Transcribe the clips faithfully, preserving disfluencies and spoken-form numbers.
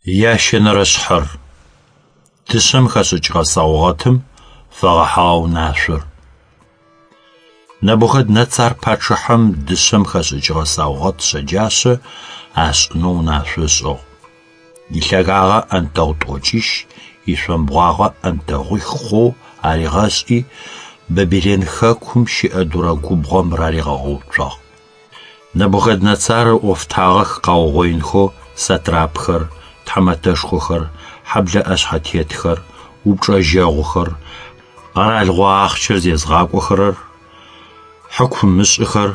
Ящэнэрэ шъхьэр: дышъэм хэшӏыкӏыгъэ саугъэтым фэгъэхьыгъэ унашъор. Нэбухэднэцар пачъыхьэм дышъэм хэшӏыкӏыгъэ саугъэт шъэджашъэ ашӏынэу унашъо ышӏыгъ. Илъэгагъэ ӏэнтэгъу тӏокӏищ, ишъомбгъуагъэ ӏэнтэгъуих хъоу аригъэшӏи, Бабилэн хэкум щыӏэ Дурэ губгъом раригъэгъэуцуагъ. Нэбухэднэцар ыӏофтагъэх къаугъоинхэу сатрапхэр, тхьамэтэшхохэр, хьэблэ ӏэшъхьэтетхэр, упчӏэжьэгъухэр, къэралыгъо ахъщэр зезгъакӏохэрэр, хьыкумышӏыхэр,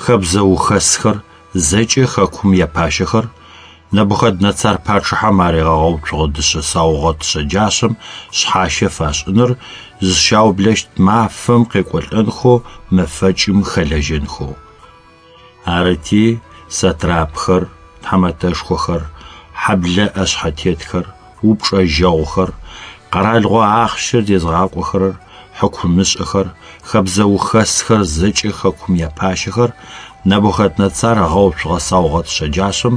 хэбзэ ухэсхэр, зэкӏэ хэкум япащэхэр Нэбухэднэцар пачъыхьэм аригъэгъэуцугъэ дышъэ саугъэт шъэджашъэм шъхьащэ фашӏыныр зыщаублэщт мафэм къекӏолӏэнхэу мэфэкӏым хэлэжьэнхэу. Арыти сатрапхэр, тхьамэтэшхохэр, хьэблэ ӏэшъхьэтетхэр, упчӏэжьэгъухэр, къэралыгъо ахъщэр зезгъакӏохэрэр, хьыкумышӏыхэр, хэбзэ ухэсхэр, зэкӏэ хэкум япащэхэр Нэбухэднэцар ыгъэуцугъэ саугъэт шъэджашъэм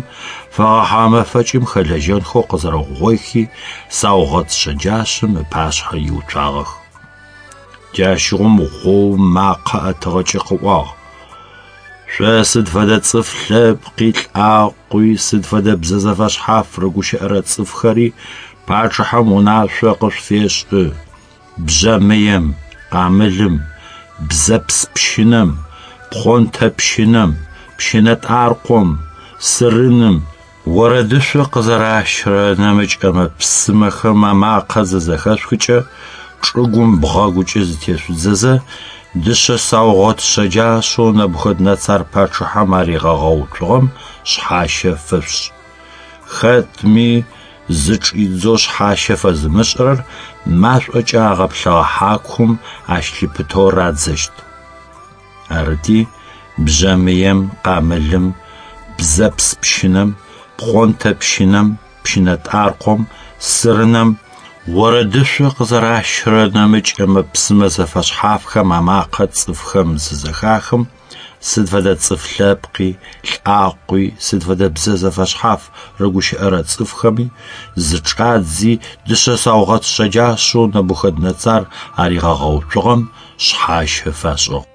фэгъэхьыгъэ мэфэкӏым хэлэжьэнхэу къызэрэугъоихи, саугъэт шъэджашъэм ыпашъхьэ иуцуагъэх. Джащыгъум гъоум макъэ ӏэтыгъэкӏэ къыӏуагъ: Шъо сыд фэдэ цӏыф лъэпкъи, лӏакъуи, сыд фэдэ бзэ зэфэшъхьаф рыгущыӏэрэ цӏыфхэри пачъыхьэм унашъо къышъуфешӏы: бжъэмыем, къамылым, бзэпс пщынэм, пхъонтэ пщынэм, пщынэтӏаркъом, сырыным, орэдышъо къызэращырэ нэмыкӏ ӏэмэ-псымэхэм амакъэ зызэхэшъухыкӏэ, чӏыгум бгъэгукӏэ зытешъудзэзэ, дышъэ саугъэт шъэджашъэу Нэбухэднэцар пачъыхьэм аригъэгъэуцугъэм шъхьащэ фэшъушӏ. Хэтми зычӏидзэу шъхьащэ фэзымышӏырэр машӏокӏэ агъэплъэгъэ хьакум ащ лъыпытэу радзэщт. Арыти, бжъэмыем, къамылым, бзэпс пщынэм, пхъонтэ пщынэм, пщынэтӏаркъом, сырынэм, орэдышъо къызэращырэ нэмыкӏ ӏэмэ-псымэ зэфэшъхьафхэм амакъэ цӏыфхэм зызэхахым, сыд фэдэ цӏыф лъэпкъи, лӏакъуи, сыд фэдэ бзэ зэфэшъхьаф рыгущыӏэрэ цӏыфхэми зычӏадзи, дышъэ саугъэт шъэджашъэу Нэбухэднэцар аригъэгъэуцугъэм шъхьащэ фашӏыгъ.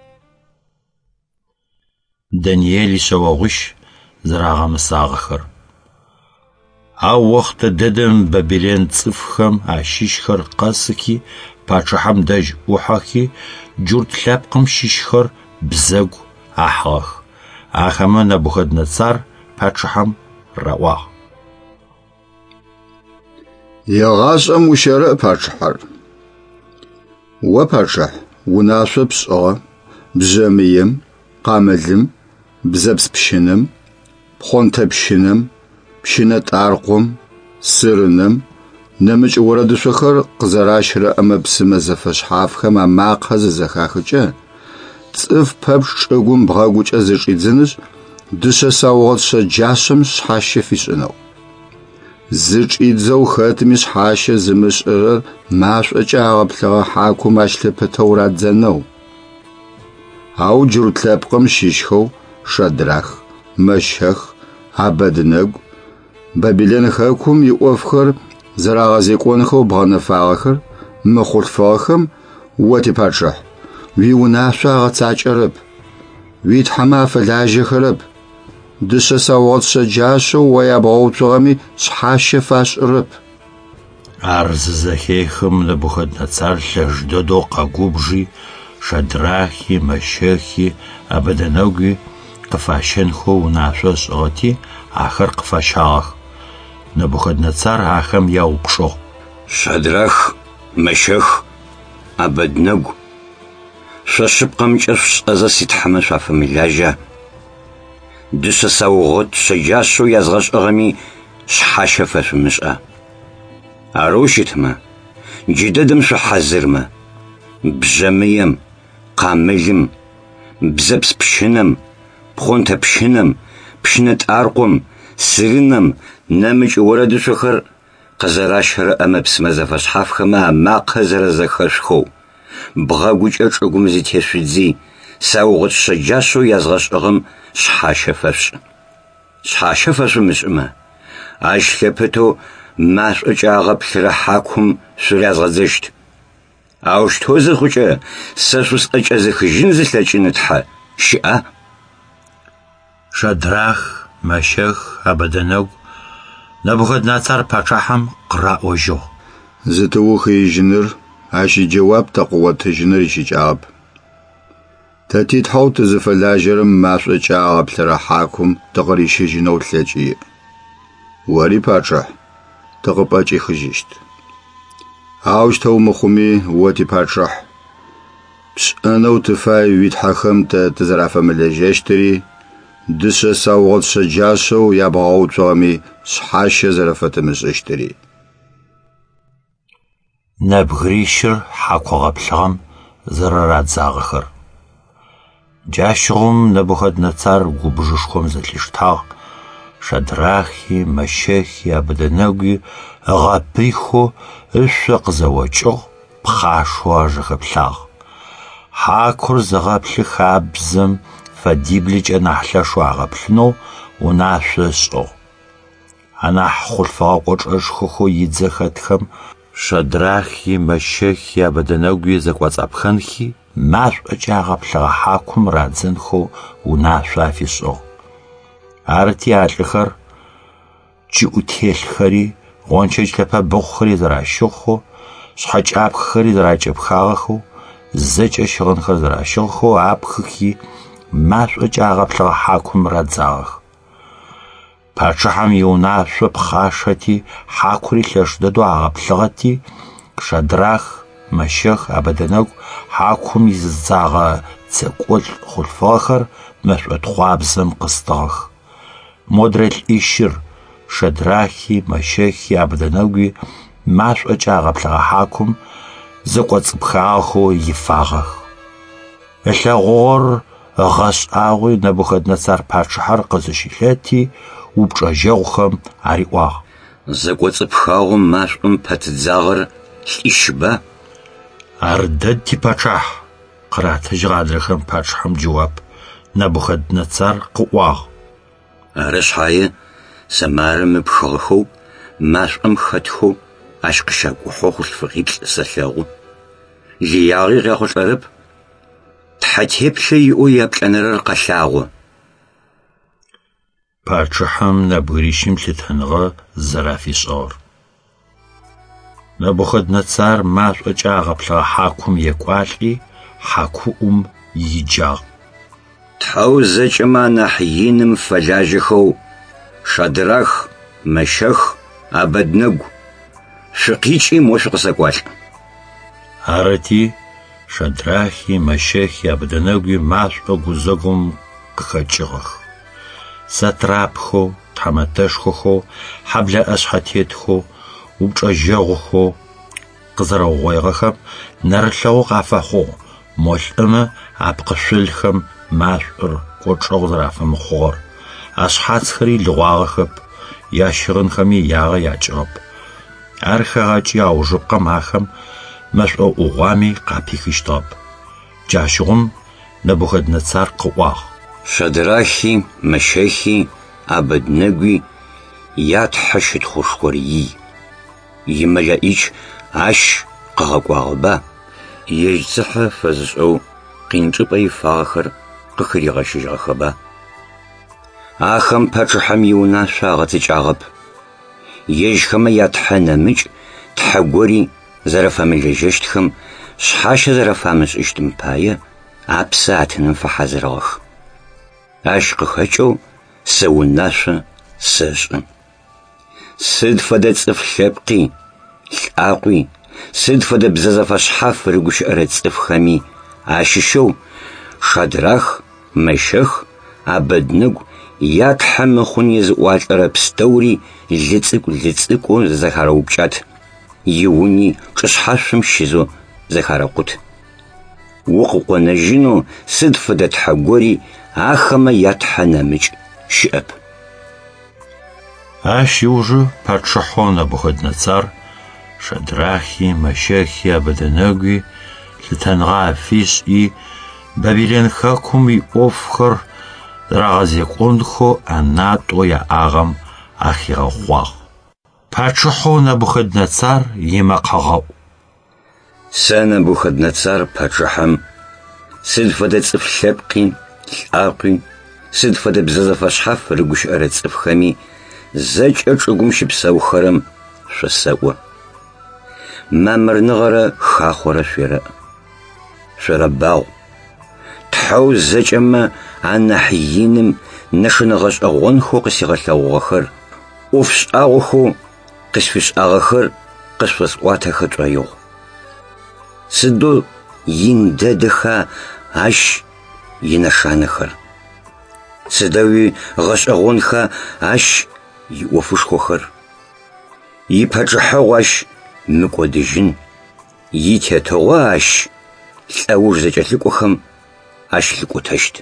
Даниел ишъэогъуищ зэрагъэмысагъэхэр. Ау охътэ дэдэм Бабилэн цӏыфхэм ащыщхэр къэсыхи, пачъыхьэм дэжь ӏухьэхи, джурт лъэпкъым щыщхэр бзэгу ахьыгъэх. Ахэмэ Нэбухэднэцар пачъыхьэм раӏуагъ: Егъашӏэм ущэрэӏ пачъыхьэр. О пачъыхь, унашъо пшӏыгъэ, бжъэмыем, къамылым, бзэпс пщынэм, пхъонтэ пщынэм, пщынэтӏаркъом, сырынэм, нэмыкӏ орэдышъохэр къызэращырэ ӏэмэ-псымэ зэфэшъхьафхэм амакъэ зызэхахыкӏэ, цӏыф пэпчъ чӏыгум бгъэгукӏэ зычӏидзынышъ, дышъэ саугъэт шъэджашъэм шъхьащэ фишӏынэу. Зычӏидзэу хэтми шъхьащэ зымышӏырэр машӏокӏэ агъэплъэгъэ хьакум ащ лъыпытэу радзэнэу. Ау джурт лъэпкъым щыщхэу Шадрах, Мэщэх, Абэднэгу, Бабилэн хэкум иӏофхэр зэрагъэзекӏонхэу бгъэнэфагъэхэр мы хъулъфыгъэхэм о типачъыхь, уиунашъо агъэцакӏэрэп, уитхьэмэ афэлажьэхэрэп, дышъэ саугъэт шъэджашъэу о ябгъэуцугъэми шъхьащэ фашӏырэп. Ар зызэхехым Нэбухэднэцар лъэш дэдэу къэгубжи, Шадрахи, Мэщэхи, Абэдэнэгуи къыфащэнхэу унашъо ышӏыгъэти, ахэр къыфащагъэх. Нэбухэднэцар ахэм яупчӏыгъ: Шадрах, Мэщэх, Абэднэгу, шъо шъыпкъэмкӏэ шъушӏэзэ ситхьэмэ шъуафэмылажьа? Дышъэ саугъэт шъэджашъэу язгъэшӏыгъэми шъхьащэ фэшъумышӏа? Арэу щытмэ, джыдэдэм шъухьазырмэ, бжъэмыем, къамылым, бзэпс пщынэм, пхъонтэ пщынэм, пщынэтӏаркъом, сырынэм, нэмыкӏ орэдышъохэр къызэращырэ ӏэмэ-псымэ зэфэшъхьафхэмэ амакъэ зэрэзэхэшъухэу, бгъэгукӏэ чӏыгум зытешъудзи, саугъэт шъэджашъэу язгъэшӏыгъэм шъхьащэ фэшъушӏ. Шъхьащэ фэшъумышӏымэ, ащ лъыпытэу Машӏокӏэ агъэплъырэ хьакум шъурязгъэдзэщт. Аущтэу зыхъукӏэ сэ шъусӏэкӏэзыхыжьын зылъэкӏын тхьэ щыӏа? Шадрах, Мэщэх, Абэдэнэгу Нэбухэднэцар пачъыхьэм къыраӏожьыгъ. Зытыухыижьыныр, ащ иджэуап тэ къыотыжьыныр ищыкӏагъэп. Тэ титхьэу тызыфэлажьэрэм машӏокӏэ агъэплъырэ хьакум тыкъырищыжьынэу лъэкӏ иӏ. Ори, пачъыхь, тыкъыпӏэкӏихыжьыщт. Аущтэу мыхъуми, о типачъыхь, пшӏэнэу тыфай уитхьэхэм тэ тызэрафэмылэжьэщтыри, дышъэ саугъэт шъэджашъэу ябгъэгъэуцугъэми шъхьащэ зэрэфэтымышӏыщтыри. Нэбгырищыр хьаку гъэплъыгъэм зэрэрадзагъэхэр. Джащыгъум Нэбухэднэцар губжышхом зэлъиштагъ, Шадрахи, Мэщэхи, Абэдэнэгуи ыгъэпыйхэу ышъо къызэокӏыгъ, пхъашэу ажэхэплъагъ. Хьакур зыгъэплъы хабзэм фэдиблыкӏэ нахь лъэшэу агъэплъынэу унашъо ышӏыгъ. Анахь хъулъфыгъэ кӏочӏэшхохэу идзэ хэтхэм Шадрахи, Мэщэхи, Абэдэнэгуи зэкӏоцӏапхэнхи, машӏокӏэ агъэплъыгъэ хьакум радзэнхэу унашъо афишӏыгъ. Арыти а лӏыхэр чӏыӏутелъхэри, гъончэдж лъэпэбыхъухэри зэращыгъхэу, шъхьэкӏапхэхэри зэракӏэпхагъэхэу, зэкӏэ щыгъынхэр зэращыгъхэу апхыхи, машӏокӏэ агъэплъыгъэ хьакум радзагъэх. Пачъыхьэм иунашъо пхъашэти, хьакури лъэш дэдэу агъэплъыгъэти, Шадрах, Мэщэх, Абэдэнэгу хьакум изыдзагъэ дзэкӏолӏ хъулъфыгъэхэр мэшӏотхъуабзэм къыстыгъэх. Модрэ лӏищыр Шадрахи, Мэщэхи, Абэдэнэгуи машӏокӏэ агъэплъыгъэ хьакум зэкӏоцӏыпхагъэхэу ифагъэх. Ылъэгъугъэр ыгъэшӏагъуи Нэбухэднэцар пачъыхьэр къызыщылъэти, упчӏэжьэгъухэм ариӏуагъ. Зэкӏоцӏыпхагъэу машӏом пэтыдзагъэр лӏищба? Ар дэд типачъыхь, къыратыжьыгъ адрэхэм пачъыхьэм джэуап. Нэбухэднэцар къыӏуагъ. Ары шъхьае сэ марым ыпхыгъэхэу, машӏом хэтхэу ащ къыщакӏухьэу хъулъфыгъиплӏ сэлъэгъу. Лыягъи къяхъулӏэрэп. Тхьэ теплъэ иӏэу яплӏэнэрэр къэлъагъо. Пачъыхьэм нэбгырищым лъытэныгъэ зэрафишӏыгъэр. Нэбухэднэцар машӏокӏэ агъэплъыгъэ хьакум екӏуалӏи, хьакуӏум иджагъ. Тхьэу зэкӏэмэ анахь иным фэлажьэхэу Шадрах, Мэщэх, Абэднэгу шъукъикӏи мо шъукъысэкӏуалӏ. Арыти, Шадрахи, Мэщэхи, Абэдэнэгуи машӏо гузэгум къыхэкӏыгъэх. Сатрапхэу, тхьамэтэшхохэу, хьэблэ ӏэшъхьэтетхэу, упчӏэжьэгъухэу къызэрэугъоигъэхэм нэрылъэгъу къафэхъугъ мо лӏымэ апкъышъолхэм машӏор кӏочӏэгъу зэрафэмыхъугъэр, ашъхьацхэри лыгъуагъэхэп, ящыгъынхэми ягъэ якӏыгъэп. Ар хэгъэкӏи аужыпкъэм ахэм мэшӏо ӏугъуами къапихыщтыгъэп. Джащыгъум Нэбухэднэцар къыӏуагъ. Шадрахи, Мэщэхи, Абэднэгуи ятхьэ щытхъушхор ий. Имэлэӏич ащ къыгъэкӏуагъэба? Ежь цыхьэ фэзышӏэу къин чӏыпӏэ ифагъэхэр къыхыригъэщыжьыгъэхэба? Ахэм пачъыхьэм иунашъо агъэцэкӏагъэп. Ежьхэмэ ятхьэ нэмыкӏ тхьэ гори зэрэфэмылэжьэщтхэм шъхьащэ зэрэфамышӏыщтым пае апсэ атыным фэхьазырыгъэх. Ащ къыхэкӏэу сэ унашъо сэшӏы. Сыд фэдэ цӏыф лъэпкъи, лӏакъуи, сыд фэдэ бзэ зэфэшъхьаф рыгущыӏэрэ цӏыфхэми ащыщэу Шадрах, Мэщэх, Абэднэгу ятхьэ мыхъун езыӏуалӏэрэ пстэури лы цӏыкӏу лы цӏыкӏоу зэхарэупкӏат, иуни чӏышъхьашъом щизэу зэхарэкъут. Укъыкъонэжьынэу сыд фэдэ тхьэ гори ахэмэ ятхьэ нэмыкӏ щыӏэп. Ащ ыужы пачъыхьэу Нэбухэднэцар Шадрахи, Мэщэхи, Абэдэнэгуи лъытэныгъэ афишӏи, Бабилэн хэкум иӏофхэр зэрагъэзекӏонхэу ӏэнатӏэу яӏагъэм ахигъэхъуагъ. Пачъыхьэу Нэбухэднэцар имэкъэгъэӏу. Сэ Нэбухэднэцар пачъыхьэм сыд фэдэ цӏыф лъэпкъи, лӏакъуи, сыд фэдэ бзэ зэфэшъхьаф рыгущыӏэрэ цӏыфхэми зэкӏэ чӏыгум щыпсэухэрэм шъосэӏо. Мамырныгъэрэ хахъорэ шъуерэӏ. Шъорэбагъу. Тхьэу зэкӏэмэ анахь иным нэшэнэ гъэшӏэгъонхэу къысигъэлъэгъугъэхэр, ӏоф шӏагъохэу къысфишӏагъэхэр къышъосӏуатэхэ шӏоигъу. Сыдэу ин дэдэха ащ инэшанэхэр. Сыдэуи гъэшӏэгъонха ащ иӏофышхохэр. Ипачъыхьэгъу ащ мыкӏодыжьын, итетыгъо ащ лӏэуж зэкӏэлъыкӏохэм ащ лъыкӏотэщт.